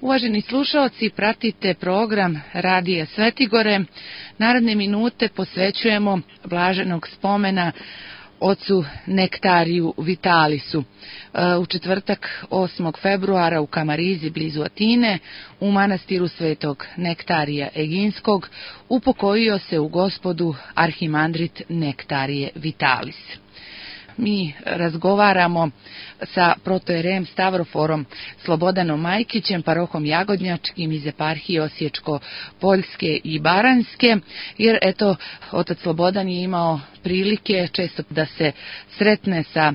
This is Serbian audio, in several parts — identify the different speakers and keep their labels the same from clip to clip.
Speaker 1: Uvaženi slušaoci, pratite program Radija Svetigore. Naredne minute posvećujemo blaženog spomena ocu Nektariju Vitalisu. U četvrtak 8. februara u Kamarizi blizu Atine, u manastiru Svetog Nektarija Eginskog, upokojio se u Gospodu arhimandrit Nektarije Vitalis. Mi razgovaramo sa protojerejem Stavroforom Slobodanom Majkićem, parohom Jagodnjačkim iz eparhije Osječko-Poljske i Baranjske, jer eto, otac Slobodan je imao prilike često da se sretne sa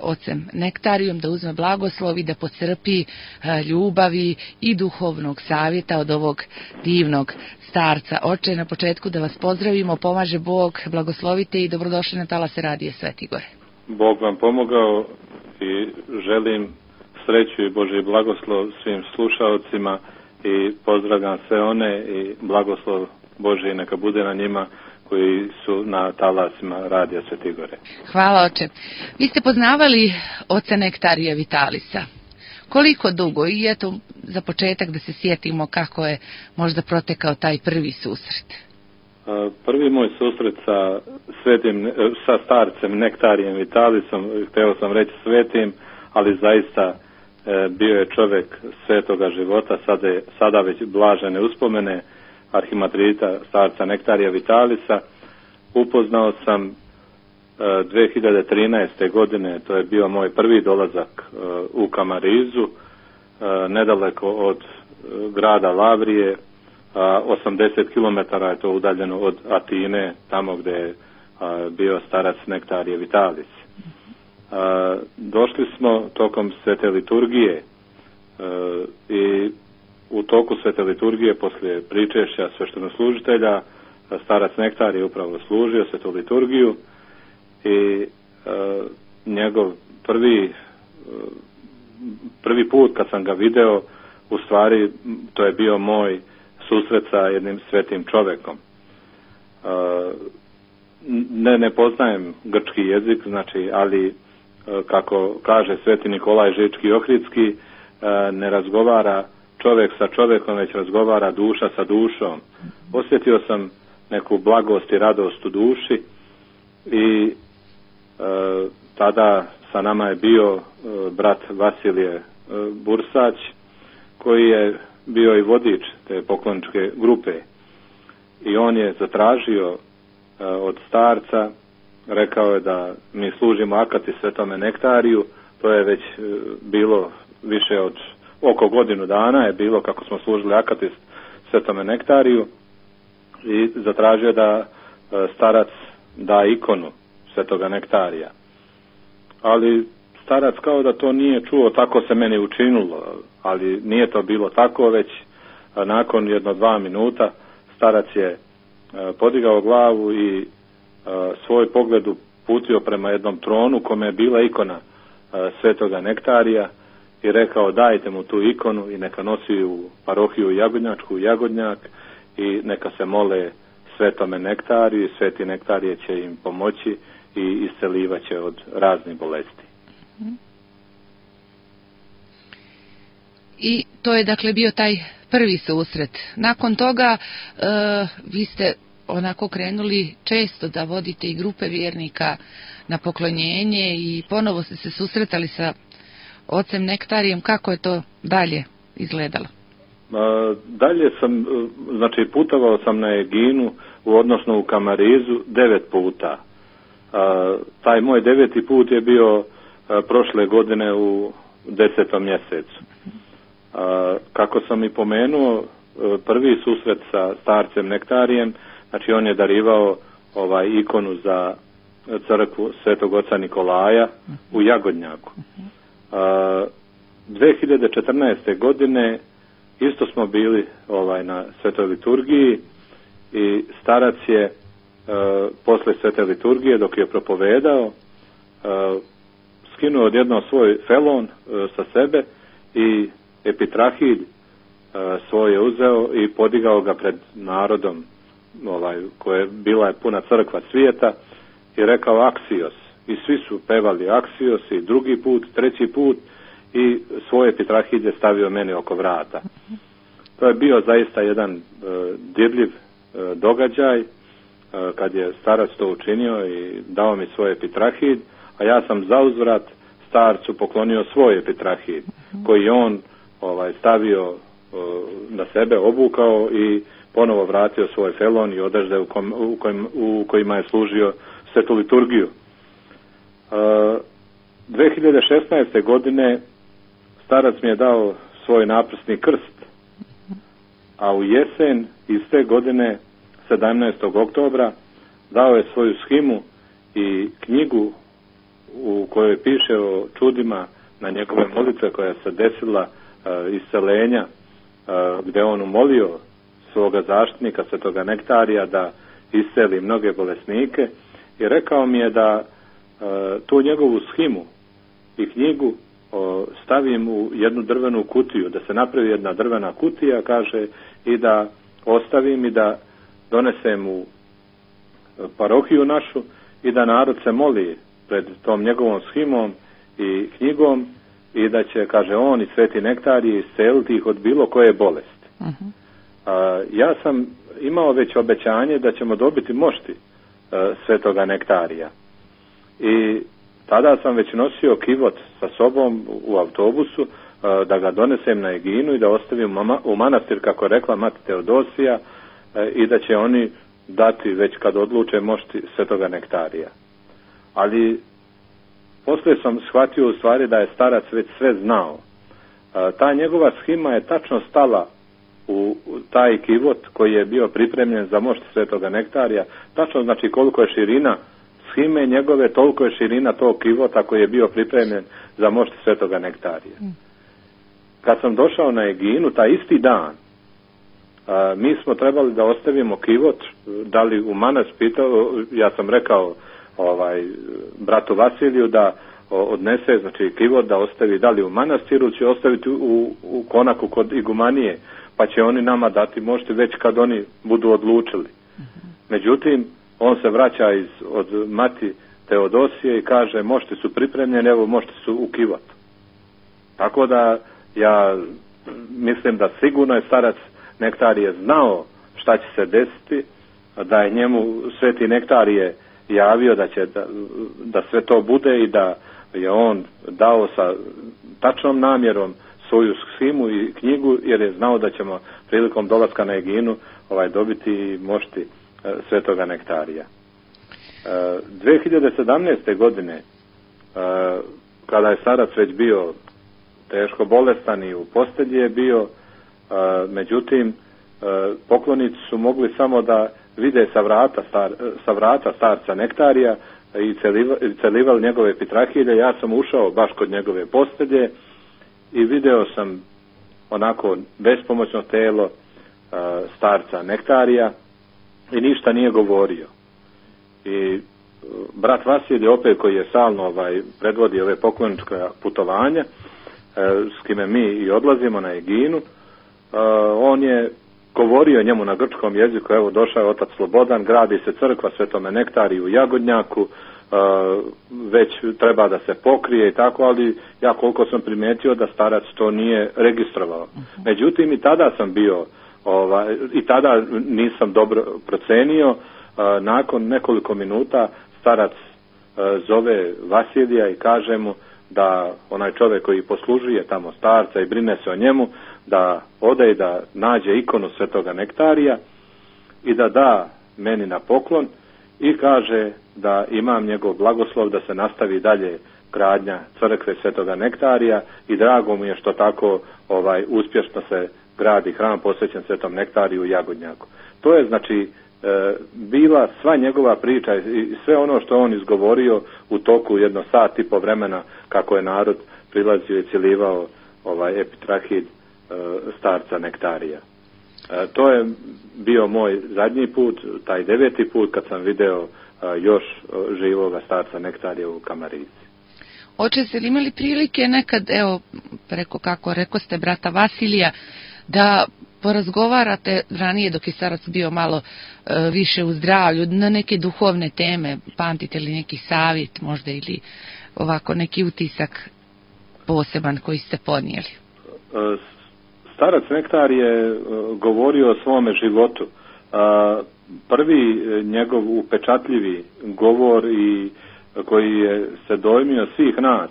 Speaker 1: ocem Nektarijom, da uzme blagoslov i da pocrpi ljubavi i duhovnog savjeta od ovog divnog starca. Oče, na početku da vas pozdravimo, pomaže Bog, blagoslovite i dobrodošli na talase Radija Svetigore.
Speaker 2: Bog vam pomogao i želim sreću i Božji blagoslov svim slušaocima i pozdravljam sve one i blagoslov Božji neka bude na njima koji su na talasima Radija Svetigore.
Speaker 1: Hvala, oče. Vi ste poznavali oca Nektarija Vitalisa. Koliko dugo? I eto, za početak da se sjetimo kako je možda protekao taj prvi susret.
Speaker 2: Prvi moj susret sa starcem Nektarijem Vitalisom, htio sam reći svetim, ali zaista bio je čovjek svetoga života, sada već blažene uspomene arhimandrita starca Nektarija Vitalisa. Upoznao sam 2013. godine, to je bio moj prvi dolazak u Kamarizu, nedaleko od grada Lavrije, 80 km je to udaljeno od Atine, tamo gdje je bio starac Nektarije Vitalis. Došli smo tokom svete liturgije i u toku svete liturgije, poslije pričešća sveštenoslужitelja, starac Nektar je upravo služio svetu liturgiju i njegov prvi put kad sam ga video, u stvari to je bio moj susret sa jednim svetim čovjekom. Ne poznajem grčki jezik, znači, ali kako kaže sveti Nikolaj Žički-Ohridski, ne razgovara čovjek sa čovjekom, već razgovara duša sa dušom. Osjetio sam neku blagost i radost u duši i tada sa nama je bio brat Vasilije Bursać, koji je bio i vodič te pokloničke grupe. I on je zatražio od starca, rekao je da mi služimo akati Svetome Nektariju, to je već bilo više od oko godinu dana je bilo kako smo služili akati Svetome Nektariju, i zatražio da starac da ikonu Svetoga Nektarija. Ali starac kao da to nije čuo, tako se meni učinilo, ali nije to bilo tako, već nakon 1-2 minuta starac je podigao glavu i svoj pogled uputio prema jednom tronu kome je bila ikona Svetoga Nektarija i rekao: dajte mu tu ikonu i neka nosi u parohiju Jagodnjačku, u Jagodnjak, i neka se mole Svetome Nektariju i Sveti Nektarije će im pomoći i iscelivat će od raznih bolesti.
Speaker 1: I to je dakle bio taj prvi susret. Nakon toga vi ste onako krenuli često da vodite i grupe vjernika na poklonjenje i ponovo ste se susretali sa ocem Nektarijem. Kako je to dalje izgledalo?
Speaker 2: Dalje sam, znači putovao sam na Eginu, odnosno u Kamarizu 9 puta. Taj moj 9. put je bio prošle godine u 10. mjesecu. Kako sam i pomenuo, prvi susret sa starcem Nektarijem, znači on je darivao ikonu za crkvu Svetog oca Nikolaja u Jagodnjaku. 2014. godine isto smo bili na svetoj liturgiji i starac je posle svete liturgije, dok je propovedao, skinuo odjednom svoj felon sa sebe i epitrahilj svoj je uzeo i podigao ga pred narodom, koja je bila puna crkva svijeta, i rekao Aksios. I svi su pevali Aksios i drugi put, treći put, i svoje pitrahilje stavio meni oko vrata. To je bio zaista jedan dirljiv događaj kad je starac to učinio i dao mi svoje pitrahilj, a ja sam zauzvrat starcu poklonio svoje pitrahilj koji on stavio na sebe, obukao i ponovo vratio svoj felon i odežde u kojima je služio svetu liturgiju. 2016. godine starac mi je dao svoj naprsni krst, a u jesen iste godine 17. oktobra dao je svoju shimu i knjigu u kojoj piše o čudima na njegove molitve koja se desila iscelenja, gdje on umolio svoga zaštitnika svetoga Nektarija da isceli mnoge bolesnike i rekao mi je da tu njegovu shimu i knjigu stavim u jednu drvenu kutiju, da se napravi jedna drvena kutija, kaže, i da ostavim i da donesem u parohiju našu i da narod se moli pred tom njegovom shimom i knjigom i da će, kaže, on i sveti Nektarije isceliti ih od bilo koje bolesti. Ja sam imao već obećanje da ćemo dobiti mošti svetoga Nektarija i tada sam već nosio kivot sa sobom u autobusu da ga donesem na Eginu i da ostavim u manastir, kako je rekla mati Teodosija, i da će oni dati već kad odluče mošti svetoga Nektarija. Ali poslije sam shvatio u stvari da je starac već sve znao. Ta njegova shima je tačno stala u taj kivot koji je bio pripremljen za mošt svetoga Nektarija. Tačno znači koliko je širina shime njegove, toliko je širina tog kivota koji je bio pripremljen za mošt svetoga Nektarija. Kad sam došao na Eginu, taj isti dan, mi smo trebali da ostavimo kivot, da li u manastir, pitao, ja sam rekao bratu Vasiliju da odnese, znači kivot da ostavi da li u manastiru, će ostaviti u konaku kod igumanije, pa će oni nama dati mošti već kad oni budu odlučili. Međutim, on se vraća od mati Teodosije i kaže, mošti su pripremljeni, evo mošti su u kivotu. Tako da ja mislim da sigurno je starac Nektarije znao šta će se desiti, da je njemu sveti Nektarije javio da sve to bude i da je on dao sa tačnom namjerom svoju shimu i knjigu, jer je znao da ćemo prilikom dolaska na Eginu dobiti mošti svetoga Nektarija. 2017. godine, kada je starac već bio teško bolestan i u postelji je bio, međutim poklonici su mogli samo da vide sa vrata starca Nektarija i celivali njegove pitrahilje. Ja sam ušao baš kod njegove postelje i video sam onako bespomoćno telo starca Nektarija i ništa nije govorio. I brat Vasilij, opet koji je stalno predvodi ove poklonička putovanja, s kime mi i odlazimo na Eginu, on je govorio njemu na grčkom jeziku, evo došao je otac Slobodan, gradi se crkva Svetome Nektariju u Jagodnjaku, već treba da se pokrije i tako, ali ja koliko sam primijetio da starac to nije registrovao. Međutim, i tada sam bio, i tada nisam dobro procenio, nakon nekoliko minuta starac zove Vasilija i kaže mu da onaj čovjek koji poslužuje tamo starca i brine se o njemu, da ode i da nađe ikonu svetoga Nektarija i da meni na poklon i kaže da imam njegov blagoslov da se nastavi dalje gradnja crkve svetoga Nektarija i drago mu je što tako uspješno se gradi hram posvećen svetom Nektariju u Jagodnjaku. To je znači bila sva njegova priča i sve ono što on izgovorio u toku jedno sat i po vremena kako je narod prilazio i cijelivao epitrahilj starca Nektarija. To je bio moj zadnji put, taj 9. put kad sam video još živoga starca Nektarija u Kamarici.
Speaker 1: Oče, ste li imali prilike nekad, evo, preko kako rekoste brata Vasilija, da porazgovarate ranije dok je starac bio malo više u zdravlju, na neke duhovne teme, pamtite li neki savjet možda ili ovako neki utisak poseban koji ste podnijeli?
Speaker 2: Starac Nektar je govorio o svome životu. Prvi njegov upečatljivi govor i koji je se dojmio svih nas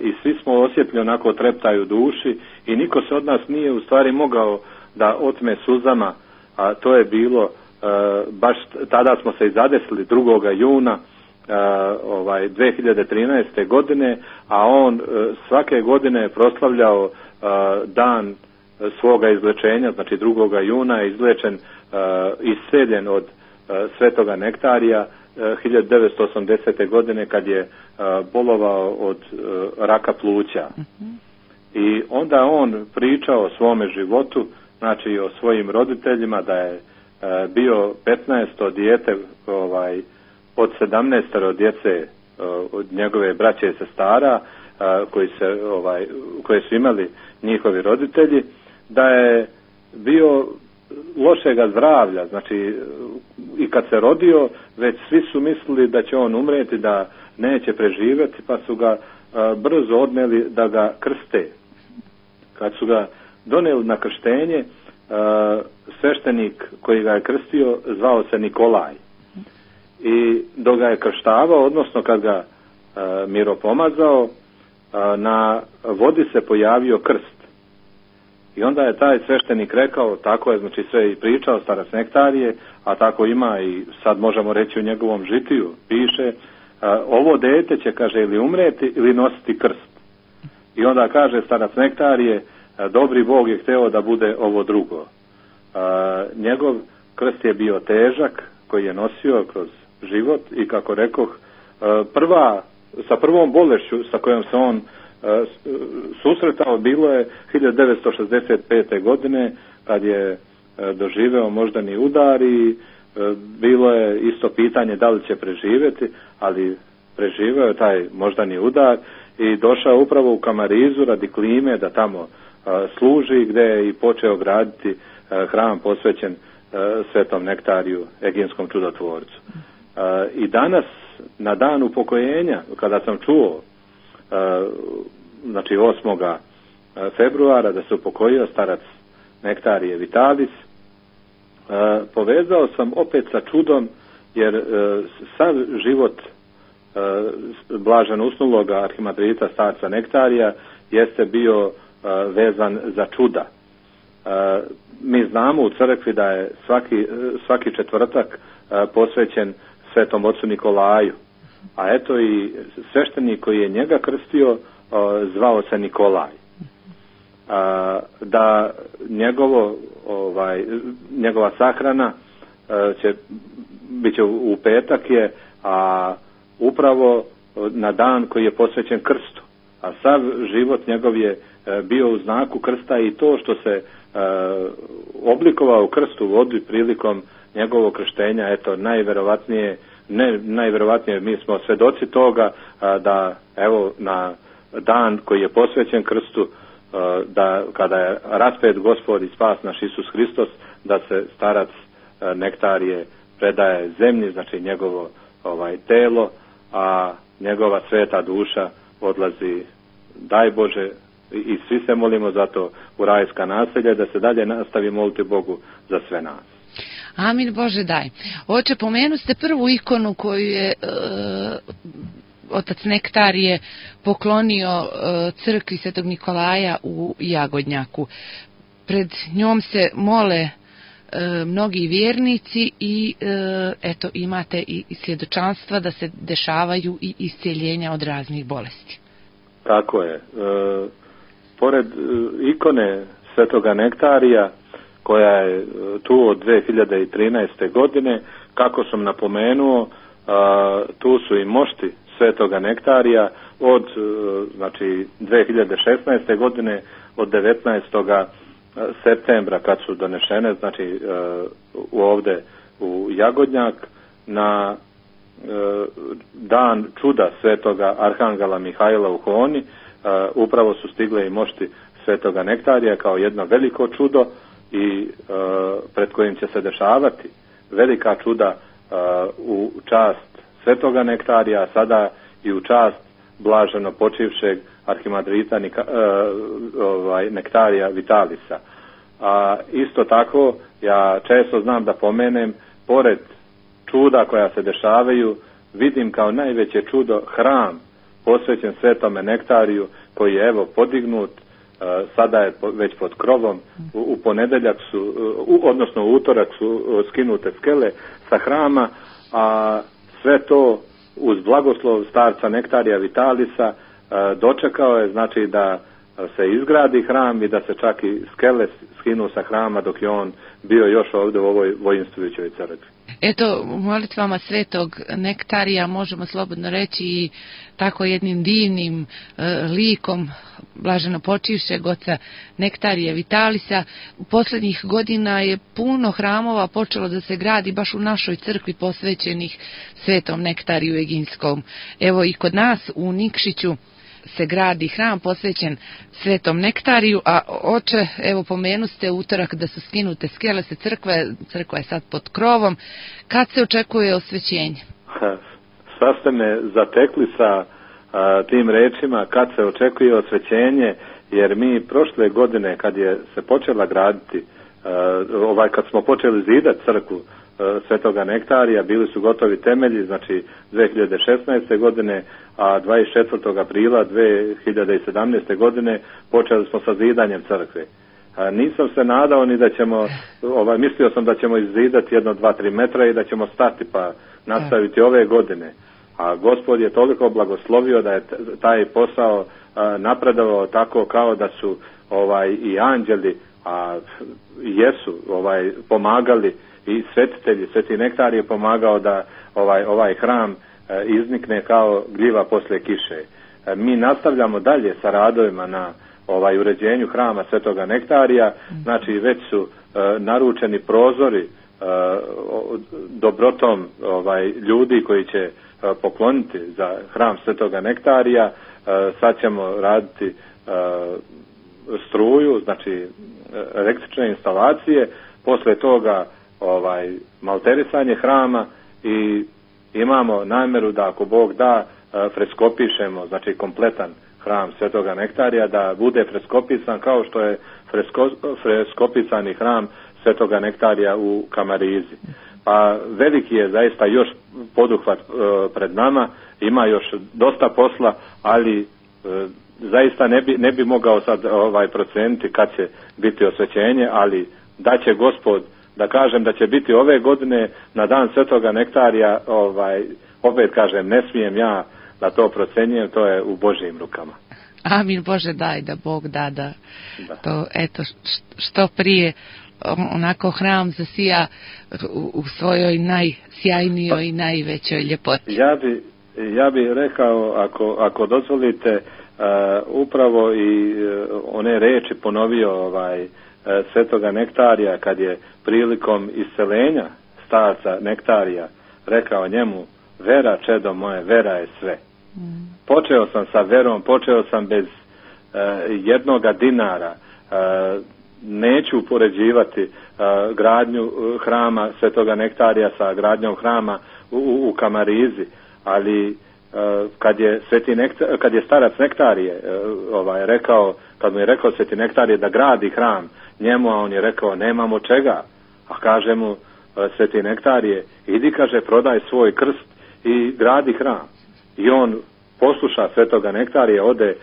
Speaker 2: i svi smo osjetili onako treptaju duši i niko se od nas nije u stvari mogao da otme suzama, a to je bilo baš tada smo se i zadesili 2. juna 2013. godine, a on svake godine je proslavljao dan svoga izlečenja, znači 2. juna je izlečen, isceljen od Svetoga Nektarija 1980. godine kad je bolovao od raka pluća. I onda on pričao o svome životu, znači o svojim roditeljima, da je bio 15. dijete od 17 djece od njegove braće i sestara koje su imali njihovi roditelji, da je bio lošega zdravlja, znači i kad se rodio već svi su mislili da će on umreti, da neće preživjeti, pa su ga brzo odneli da ga krste. Kad su ga donijeli na krštenje, sveštenik koji ga je krstio zvao se Nikolaj. I dok ga je krštavao, odnosno kad ga miropomazao, na vodi se pojavio krst. I onda je taj sveštenik rekao, tako je, znači sve i pričao starac Nektarije, a tako ima i sad možemo reći u njegovom žitiju, piše, ovo dete će, kaže, ili umreti ili nositi krst. I onda kaže starac Nektarije, dobri Bog je hteo da bude ovo drugo. Njegov krst je bio težak, koji je nosio kroz život i kako rekoh, sa prvom bolešću sa kojom se on susretao bilo je 1965. godine kad je doživeo moždani udar i bilo je isto pitanje da li će preživjeti, ali preživeo je taj moždani udar i došao upravo u Kamarizu radi klime da tamo služi, gdje je i počeo graditi hram posvećen Svetom Nektariju, Eginskom čudotvorcu. I danas, na dan upokojenja, kada sam čuo, znači 8. februara da se upokojio starac Nektarije Vitalis, povezao sam opet sa čudom, jer sav život blažen usnuloga arhimandrita starca Nektarija jeste bio vezan za čuda. Mi znamo u crkvi da je svaki četvrtak posvećen Svetom ocu Nikolaju, a eto i sveštenik koji je njega krstio zvao se Nikolaj. Da njegova sahrana bit će u petak je, a upravo na dan koji je posvećen krstu, a sav život njegov je bio u znaku krsta i to što se oblikovao u krstu vodi prilikom njegovog krštenja, eto najvjerovatnije mi smo svedoci toga da evo na dan koji je posvećen krstu, da kada je raspet Gospod i spas naš Isus Hristos, da se starac Nektarije predaje zemlji, znači njegovo telo, a njegova sveta duša odlazi, daj Bože, i svi se molimo za to, u rajska naselja, da se dalje nastavi moliti Bogu za sve nas.
Speaker 1: Amin, Bože daj. Oče, pomenu ste prvu ikonu koju je otac Nektarije poklonio crkvi Svetog Nikolaja u Jagodnjaku. Pred njom se mole mnogi vjernici i eto imate i svjedočanstva da se dešavaju i iscijeljenja od raznih bolesti.
Speaker 2: Tako je. Pored ikone Svetoga Nektarija koja je tu od 2013. godine, kako sam napomenuo, tu su i mošti Svetoga Nektarija od znači 2016. godine, od 19. septembra kad su donešene, znači ovdje u Jagodnjak, na dan čuda Svetoga Arhangela Mihajla u Honi, upravo su stigle i mošti Svetoga Nektarija kao jedno veliko čudo i pred kojim će se dešavati velika čuda u čast Svetoga Nektarija, a sada i u čast blaženo počivšeg arhimandrita Nektarija Vitalisa. A isto tako, ja često znam da pomenem, pored čuda koja se dešavaju, vidim kao najveće čudo hram posvećen Svetome Nektariju, koji je evo podignut, sada je već pod krovom, u ponedeljak su, odnosno u utorak su skinute skele sa hrama, a sve to uz blagoslov starca Nektarija Vitalisa dočekao je, znači, da se izgradi hram i da se čak i skele skinu sa hrama dok je on bio još ovdje u ovoj voinstvujućoj crkvi.
Speaker 1: Eto, u molitvama Svetog Nektarija možemo slobodno reći i tako jednim divnim likom blaženo počivšeg oca Nektarija Vitalisa. U posljednjih godina je puno hramova počelo da se gradi baš u našoj crkvi posvećenih Svetom Nektariju Eginskom. Evo i kod nas u Nikšiću se gradi hram posvećen Svetom Nektariju, a oče, evo pomenuste utorak da su skinute skele sa crkve, crkva je sad pod krovom. Kad se očekuje osvećenje?
Speaker 2: Sad ste me zatekli sa tim rečima kad se očekuje osvećenje, jer mi prošle godine kad je se počela graditi, kad smo počeli zidati crkvu Svetoga Nektarija, bili su gotovi temelji, znači 2016. godine, a 24. aprila 2017. godine počeli smo sa zidanjem crkve. Nisam se nadao ni da ćemo, mislio sam da ćemo izzidati 1-2-3 metra i da ćemo stati pa nastaviti ove godine. A Gospod je toliko blagoslovio da je taj posao napredovao tako kao da su i anđeli, a jesu pomagali, i svetitelji, Sveti Nektar je pomagao da ovaj hram iznikne kao gljiva poslije kiše. Mi nastavljamo dalje sa radovima na uređenju hrama Svetoga Nektarija, znači već su naručeni prozori dobrotom ljudi koji će pokloniti za hram Svetoga Nektarija. Sad ćemo raditi struju, znači električne instalacije, posle toga malterisanje hrama i imamo namjeru da ako Bog da freskopišemo, znači kompletan hram Svetoga Nektarija, da bude freskopisan kao što je freskopisani hram Svetoga Nektarija u Kamarizi. Pa veliki je zaista još poduhvat pred nama, ima još dosta posla, ali zaista ne bi mogao sad procijeniti kad će biti osvećenje, ali da će Gospod, da kažem da će biti ove godine na dan Svetoga Nektarija, opet kažem, ne smijem ja da to procenjujem, to je u Božjim rukama.
Speaker 1: Amin, Bože daj da Bog da. To eto što prije onako hram zasija u svojoj najsjajnijoj i najvećoj ljepoti.
Speaker 2: Ja bi rekao, ako dozvolite, upravo i one reči ponovio Svetoga Nektarija kad je prilikom iscelenja starca Nektarija rekao njemu: vera, čedo moje, vera je sve. Počeo sam sa verom, počeo sam bez jednoga dinara. Neću upoređivati gradnju hrama Svetoga Nektarija sa gradnjom hrama u Kamarizi, ali kad je starac Nektarije rekao, kad mu je rekao Sveti Nektarije da gradi hram njemu, a on je rekao nemamo čega, a kaže mu Sveti Nektarije: idi, kaže, prodaj svoj krst i gradi hram. I on posluša Svetoga Nektarije, ode,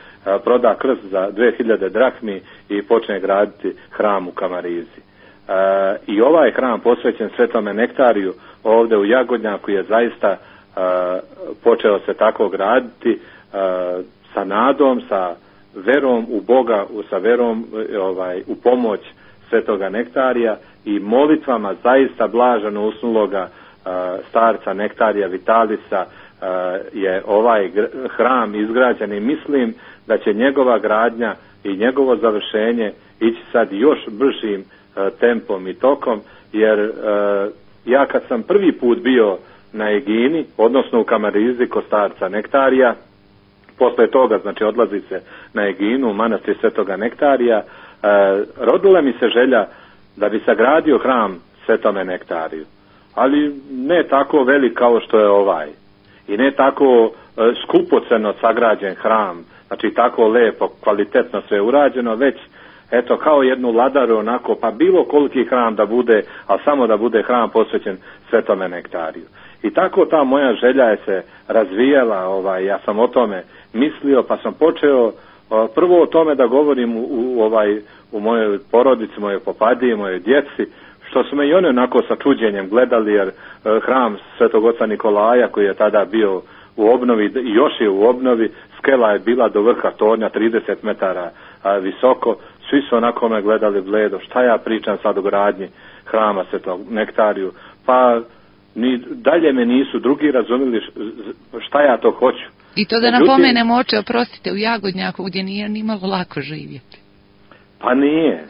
Speaker 2: proda krst za 2000 drakmi i počne graditi hram u Kamarizi. I ovaj hram posvećen Svetome Nektariju ovdje u Jagodnjaku je zaista počeo se tako graditi sa nadom, sa verom u Boga, sa verom u pomoć Svetoga Nektarija i molitvama zaista blaženo usnuloga starca Nektarija Vitalisa je ovaj hram izgrađen i mislim da će njegova gradnja i njegovo završenje ići sad još bržim tempom i tokom, jer ja kad sam prvi put bio na Egini, odnosno u Kamarizi kod starca Nektarija, posle toga, znači, odlazi se na Eginu u manastir Svetoga Nektarija, rodila mi se želja da bi sagradio hram Svetome Nektariju, ali ne tako velik kao što je ovaj i ne tako skupoceno sagrađen hram znači tako lepo, kvalitetno sve urađeno, već eto kao jednu ladaru onako, pa bilo koliki hram da bude, ali samo da bude hram posvećen Svetome nektariju. I tako ta moja želja je se razvijala, ja sam o tome mislio, pa sam počeo prvo o tome da govorim u mojoj porodici, mojoj popadiji, mojoj djeci, što su me i oni onako sa čuđenjem gledali, jer hram Svetog oca Nikolaja koji je tada bio u obnovi i još je u obnovi, skela je bila do vrha tornja 30 metara visoko, svi su onako me gledali bledo, šta ja pričam sad o gradnji hrama Svetog nektariju, pa ni dalje me nisu drugi razumjeli šta ja to hoću.
Speaker 1: I to da napomenemo, oče, oprostite, u Jagodnjaku gdje nije ni malo lako živjeti.
Speaker 2: Pa nije,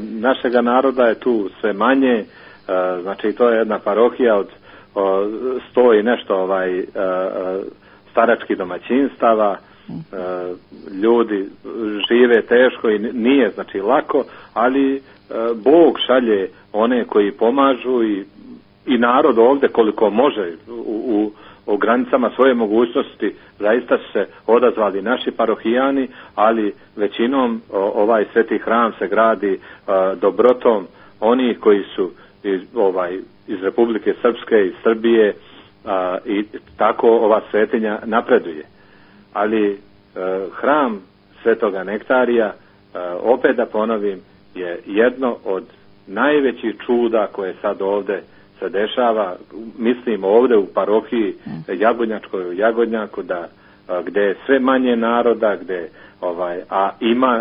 Speaker 2: našega naroda je tu sve manje, znači to je jedna parohija od 100 i nešto staračkih domaćinstava, ljudi žive teško i nije znači lako, ali Bog šalje one koji pomažu i narod ovdje koliko može u granicama svoje mogućnosti zaista su se odazvali naši parohijani, ali većinom ovaj sveti hram se gradi dobrotom onih koji su iz Republike Srpske, iz Srbije, i tako ova svetinja napreduje. Ali hram Svetoga nektarija, opet da ponovim, je jedno od najvećih čuda koje sad ovdje se dešava, mislim ovdje u parohiji Jagodnjačkoj, u Jagodnjaku, gdje je sve manje naroda,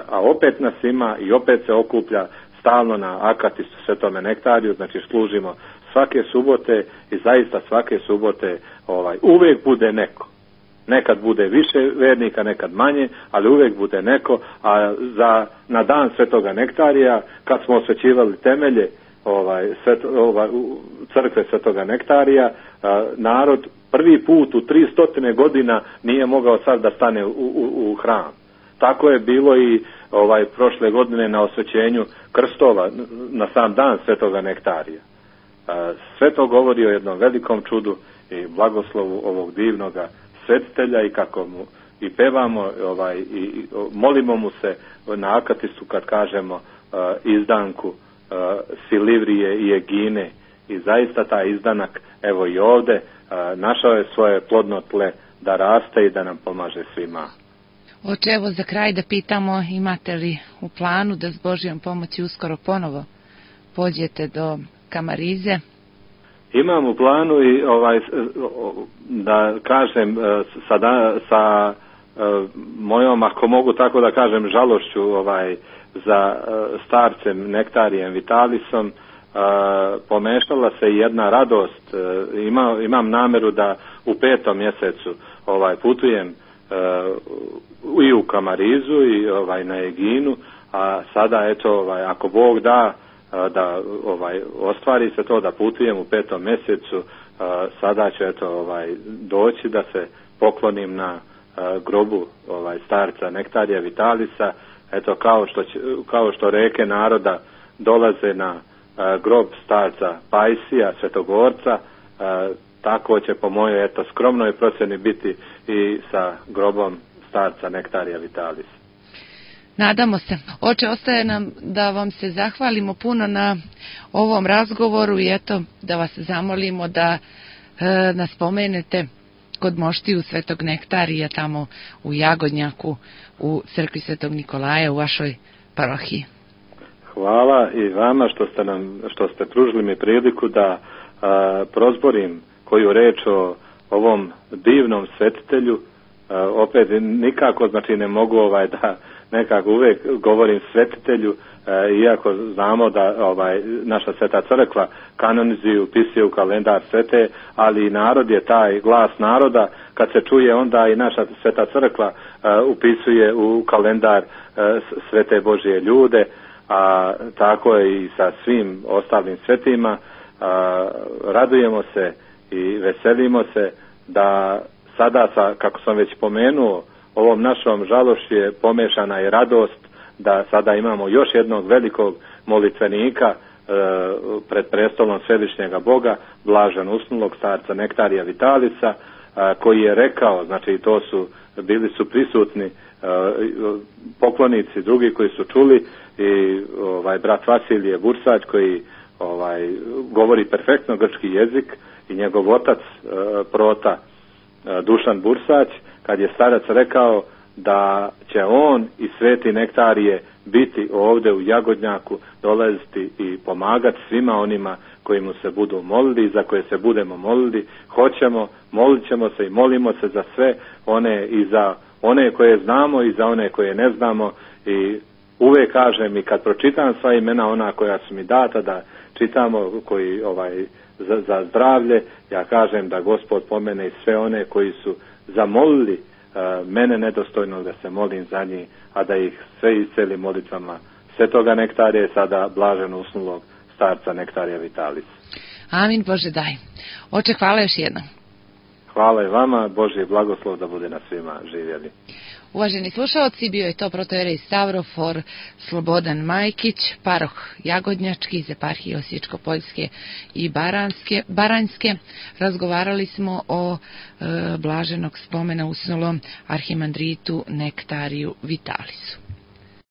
Speaker 2: a opet nas ima i opet se okuplja stalno na akatistu Svetome nektariju, znači služimo svake subote i zaista svake subote uvijek bude neko. Nekad bude više vernika, nekad manje, ali uvijek bude neko, a na dan Svetoga nektarija, kad smo osvećivali temelje crkve Svetoga nektarija, narod prvi put u 300 godina nije mogao sad da stane u hram. Tako je bilo i prošle godine na osvećenju krstova na sam dan Svetoga nektarija. Sve to govori o jednom velikom čudu i blagoslovu ovog divnoga svetitelja i kako mu i pevamo i molimo mu se na akatistu kad kažemo izdanku Silivrije i Egine, i zaista taj izdanak evo i ovdje našao je svoje plodno tle da raste i da nam pomaže svima.
Speaker 1: Oče, evo za kraj da pitamo, imate li u planu da s Božjom pomoći uskoro ponovo pođete do Kamarize?
Speaker 2: Imam u planu i da kažem sa mojom, ako mogu tako da kažem, žalošću za starcem Nektarijem Vitalisom, pomešala se jedna radost. Imam nameru da u 5. mjesecu putujem i u Kamarizu i na Eginu, a sada eto ako Bog da ostvari se to da putujem u 5. mjesecu, sada ću doći da se poklonim na grobu starca Nektarija Vitalisa, eto kao što reke naroda dolaze na grob starca Pajsija, Svetogorca, tako će po mojoj skromnoj procjeni biti i sa grobom starca Nektarija Vitalisa.
Speaker 1: Nadamo se. Oče, ostaje nam da vam se zahvalimo puno na ovom razgovoru i eto da vas zamolimo da nas spomenete kod moštiju Svetog Nektarija tamo u Jagodnjaku u crkvi Svetog Nikolaja u vašoj parohiji.
Speaker 2: Hvala i vama što ste pružili mi priliku da prozborim koju reč o ovom divnom svetitelju. Opet nikako ne mogu da nekako uvijek govorim svetitelju, iako znamo da naša Sveta crkva kanonizuje, upisuje u kalendar svete, ali narod je taj glas naroda, kad se čuje onda i naša Sveta crkva upisuje u kalendar svete Božje ljude, a tako je i sa svim ostalim svetima. Radujemo se i veselimo se da sada, kako sam već pomenuo, ovom našom žalošću je pomešana i radost da sada imamo još jednog velikog molitvenika pred prestolom Svevišnjega Boga, blažen usnulog starca Nektarija Vitalisa, koji je rekao, znači to su bili su prisutni poklonici drugi koji su čuli i brat Vasilije Bursać koji govori perfektno grčki jezik i njegov otac prota Dušan Bursać, kad je starac rekao da će on i Sveti Nektarije biti ovdje u Jagodnjaku, dolaziti i pomagati svima onima koji mu se budu molili i za koje se budemo molili. Molit ćemo se i molimo se za sve one i za one koje znamo i za one koje ne znamo i uvijek kažem i kad pročitam sva imena ona koja su mi data da čitamo koji za zdravlje, ja kažem da Gospod pomene i sve one koji su zamolili mene nedostojno da se molim za njih, a da ih sve isceli molitvama Svetoga Nektarija i sada blaženo usnulog starca Nektarija Vitalis.
Speaker 1: Amin, Bože daj. Oče, hvala još jednom.
Speaker 2: Hvala i vama, Božji blagoslov da bude na svima živjeli.
Speaker 1: Uvaženi slušalci, bio je to protojerej Stavrofor Slobodan Majkić, paroh Jagodnjački iz eparhije Osječko-Poljske i Baranjske. Razgovarali smo o blaženog spomena usnulom arhimandritu Nektariju Vitalisu.